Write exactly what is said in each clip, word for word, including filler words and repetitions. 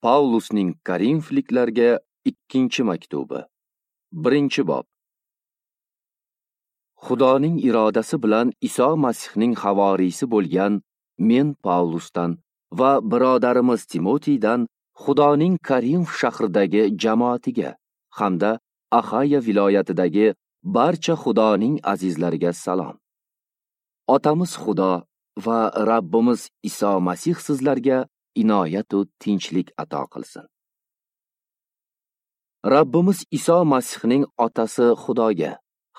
Pavlusning Korinfliklarga ikkinchi maktubi. Birinchi bob. Xudoning irodasi bilan Iso Masihning havoriysi bo'lgan men Pavlusdan va birodarimiz Timotiydan Xudoning Korinf shahridagi jamoatiga hamda Axaya viloyatidagi barcha Xudoning azizlariga salom. Otamiz Xudo va Rabbimiz Iso Masih sizlarga inoyat va tinchlik ato qilsin. Rabbimiz Iso Masihning otasi Xudoga,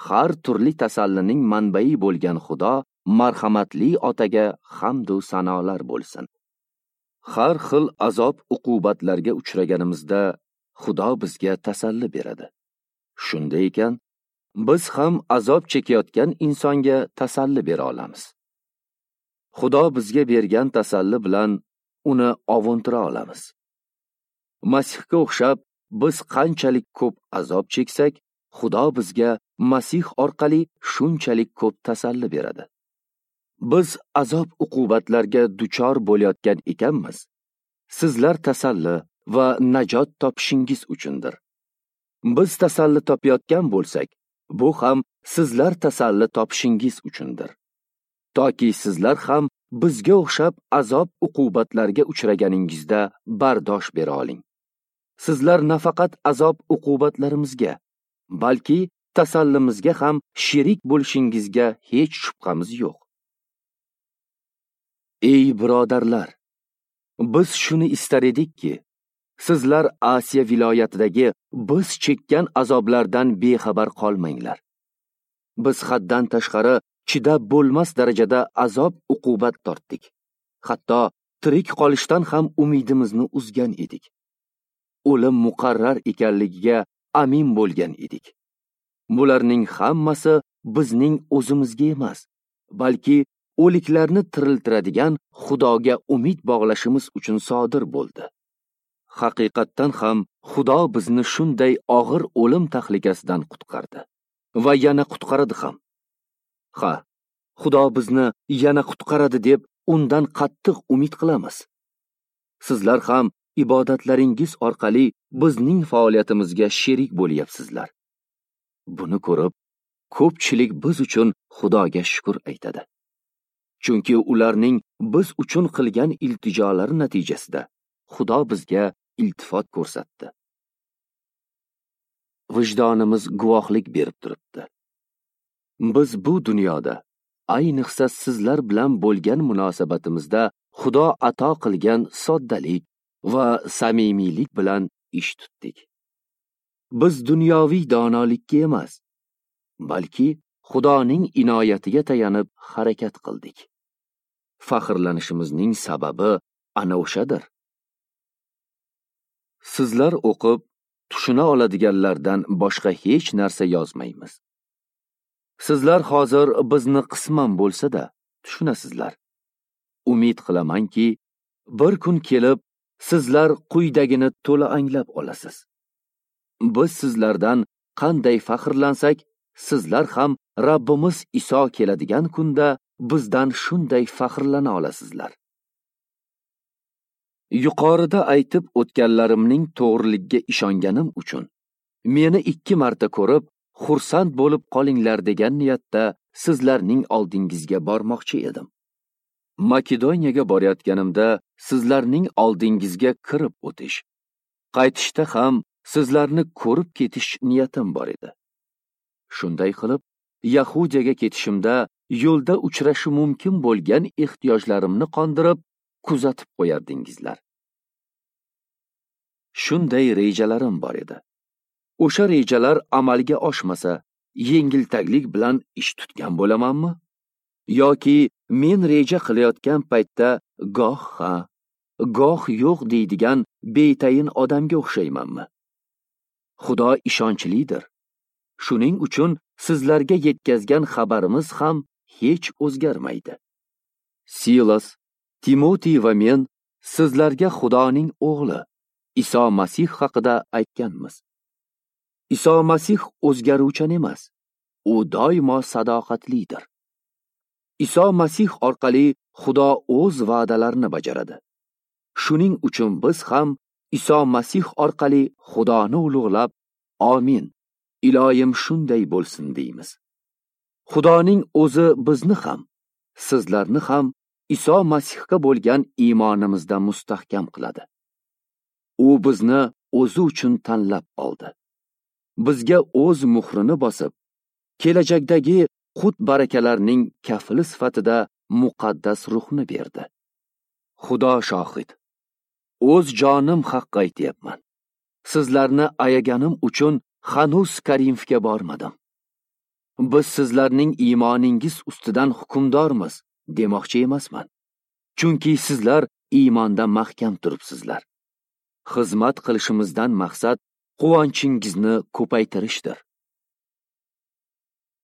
har turli tasallining manbai bo'lgan Xudo marhamatli otaga hamd va sanolar bo'lsin. Har xil azob uqubatlarga uchraganimizda Xudo bizga tasalli beradi. Shunday ekan, biz ham azob chekayotgan insonga tasalli bera olamiz. Xudo bizga bergan tasalli bilan uni ovuntira olamiz. Masihga o'xshab biz qanchalik ko'p azob cheksak, Xudo bizga Masih orqali shunchalik ko'p tasalli beradi. Biz azob uqubatlarga duchor bo'layotgan ekanmiz, sizlar tasalli va najot topishingiz uchundir. Biz tasalli topayotgan bo'lsak, bu ham sizlar tasalli topishingiz uchundir. Toki sizlar ham bizga o'xshab azob uqubatlarga uchraganingizda bardosh bera oling. Sizlar nafaqat azob uqubatlarimizga, balki tasallimizga ham sherik bo'lishingizga hech shubhamiz yo'q. Ey birodarlar, biz shuni istar edikki, sizlar Osiyo viloyatidagi biz chekkan azoblardan bexabar qolmanglar. Biz haddan tashqari chidab bo'lmas darajada azob uqubat tortdik. Hatto tirik qolishdan ham umidimizni uzgan edik. O'lim muqarrar ekanligiga amin bo'lgan edik. Bularning hammasi bizning o'zimizga emas, balki o'liklarni tiriltiradigan Xudoga umid bog'lashimiz uchun sodir bo'ldi. Haqiqatdan ham Xudo bizni shunday og'ir o'lim tahlikasidan qutqardi va yana qutqaradi ham. Ha, Xudo bizni yana qutqaradi deb undan qattiq umid qilamiz. Sizlar ham ibodatlaringiz orqali bizning faoliyatimizga sherik bo'lyapsizlar. Buni ko'rib, ko'pchilik biz uchun Xudoga shukr aytadi. Chunki ularning biz uchun qilgan iltijolari natijasida Xudo bizga iltifot ko'rsatdi. Vijdonimiz guvohlik berib turibdi. Biz bu dunyoda, ayniqsa sizlar bilan bo'lgan munosabatimizda Xudo ato qilgan soddalik va samimiylik bilan ish tutdik. Biz dunyoviy donolikka emas, balki Xudoning inoyatiga tayanib harakat qildik. Faxrlanishimizning sababi ana o'shadir. Sizlar o'qib tushuna oladiganlardan boshqa hech narsa yozmaymiz. Sizlar hozir bizni qisman bo'lsa-da tushunasizlar. Umid qilamanki, bir kun kelib sizlar quyidagini to'la anglab olasiz. Biz sizlardan qanday faxrlansak, sizlar ham Rabbimiz Iso keladigan kunda bizdan shunday faxrlana olasizlar. Yuqorida aytib o'tganlarimning to'g'riligiga ishonganim uchun meni ikki marta ko'rib xursand bo'lib qolinglar degan niyatda sizlarning oldingizga bormoqchi edim. Makedoniyaga borayotganimda sizlarning oldingizga kirib o'tish, qaytishda ham sizlarni ko'rib ketish niyatim bor edi. Shunday qilib, Yahudiyaga ketishimda yo'lda uchrashi mumkin bo'lgan ehtiyojlarimni qondirib, kuzatib qo'yardingizlar. Shunday rejalarim bor edi. O'sha rejalar amalga oshmasa, yengiltaklik bilan ish tutgan bo'lamanmi? Yoki men reja qilayotgan paytda goh ha, goh yo'q deydigan betayin odamga o'xshaymanmi? Xudo ishonchlidir. Shuning uchun sizlarga yetkazgan xabarimiz ham hech o'zgarmaydi. Silas, Timotey va men sizlarga Xudoning o'g'li Iso Masih haqida aytganmiz. Iso Masih o'zgaruvchan emas, u doimo sadoqatlidir. Iso Masih orqali Xudo o'z va'dalarini bajaradi. Shuning uchun biz ham Iso Masih orqali Xudoni ulug'lab, amin, iloyim shunday bo'lsin deymiz. Xudoning o'zi bizni ham, sizlarni ham Iso Masihga bo'lgan iymonimizda mustahkam qiladi. U bizni o'zi uchun tanlab oldi. Bizga o'z muhrini bosib, kelajakdagi qut barakalarning kafili sifatida muqaddas ruhni berdi. Xudo shohid. O'z jonim haqqi aytyapman. Sizlarni ayaganim uchun hanuz Korinfga bormadim. Biz sizlarning iymoningiz ustidan hukmdormiz demoqchi emasman. Chunki sizlar iymonda mahkam turibsizlar. Xizmat qilishimizdan maqsad quvonchingizni ko'paytirishdir.